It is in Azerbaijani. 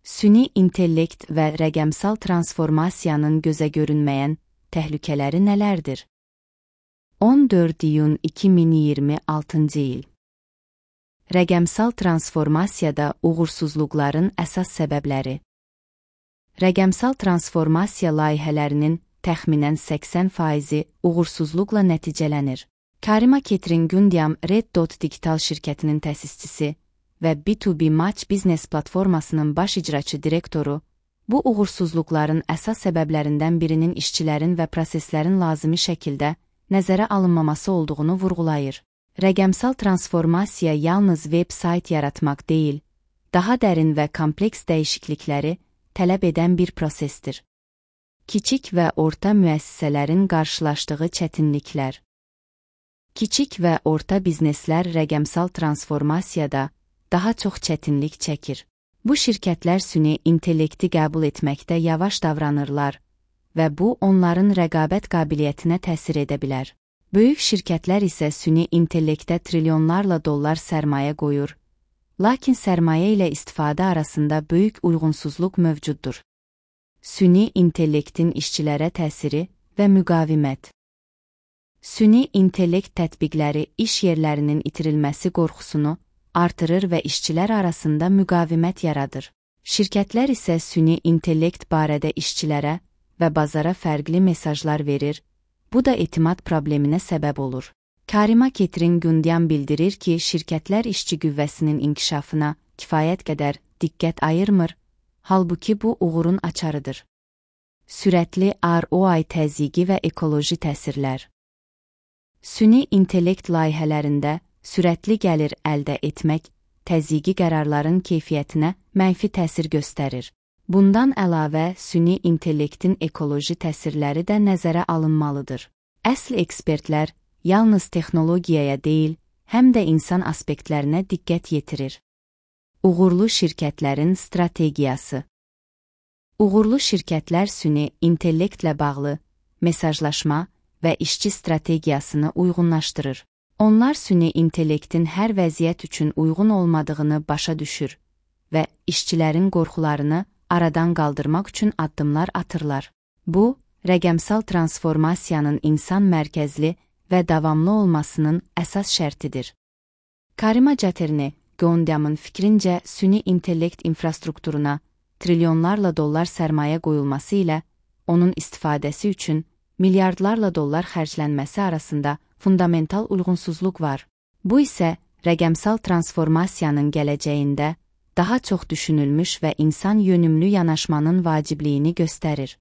Süni intellekt və rəqəmsal transformasiyanın gözə görünməyən təhlükələri nələrdir? 14 iyun 2026-cı il. Rəqəmsal transformasiyada uğursuzluqların əsas səbəbləri. Rəqəmsal transformasiya layihələrinin təxminən 80% uğursuzluqla nəticələnir. Karima Kettering-Gundyam Red Dot Digital şirkətinin təsisçisi və B2B Match biznes platformasının baş icraçı direktoru, bu uğursuzluqların əsas səbəblərindən birinin işçilərin və proseslərin lazımi şəkildə nəzərə alınmaması olduğunu vurğulayır. Rəqəmsal transformasiya yalnız veb-sayt yaratmaq deyil, daha dərin və kompleks dəyişiklikləri tələb edən bir prosesdir. Kiçik və orta müəssisələrin qarşılaşdığı çətinliklər. Kiçik və orta bizneslər rəqəmsal transformasiyada daha çox çətinlik çəkir. Bu şirkətlər süni intellekti qəbul etməkdə yavaş davranırlar və bu onların rəqabət qabiliyyətinə təsir edə bilər. Böyük şirkətlər isə süni intellektə trilyonlarla dollar sərmayə qoyur, lakin sərmayə ilə istifadə arasında böyük uyğunsuzluq mövcuddur. Süni intellektin işçilərə təsiri və müqavimət. Süni intellekt tətbiqləri iş yerlərinin itirilməsi qorxusunu artırır və işçilər arasında müqavimət yaradır. Şirkətlər isə süni intellekt barədə işçilərə və bazara fərqli mesajlar verir, bu da etimad probleminə səbəb olur. Karima Kettering-Gundyam bildirir ki, şirkətlər işçi qüvvəsinin inkişafına kifayət qədər diqqət ayırmır, halbuki bu uğurun açarıdır. Sürətli ROI təzyiqi və ekoloji təsirlər. Süni intellekt layihələrində sürətli gəlir əldə etmək, təzyiqi qərarların keyfiyyətinə mənfi təsir göstərir. Bundan əlavə, süni intellektin ekoloji təsirləri də nəzərə alınmalıdır. Əsl ekspertlər yalnız texnologiyaya deyil, həm də insan aspektlərinə diqqət yetirir. Uğurlu şirkətlərin strategiyası. Uğurlu şirkətlər süni intellektlə bağlı mesajlaşma və işçi strategiyasını uyğunlaşdırır. Onlar süni intellektin hər vəziyyət üçün uyğun olmadığını başa düşür və işçilərin qorxularını aradan qaldırmaq üçün addımlar atırlar. Bu, rəqəmsal transformasiyanın insan mərkəzli və davamlı olmasının əsas şərtidir. Karima Kettering-Gundyamın fikrincə, süni intellekt infrastrukturuna trilyonlarla dollar sərmayə qoyulması ilə onun istifadəsi üçün milyardlarla dollar xərclənməsi arasında fundamental uyğunsuzluq var. Bu isə rəqəmsal transformasiyanın gələcəyində daha çox düşünülmüş və insan yönümlü yanaşmanın vacibliyini göstərir.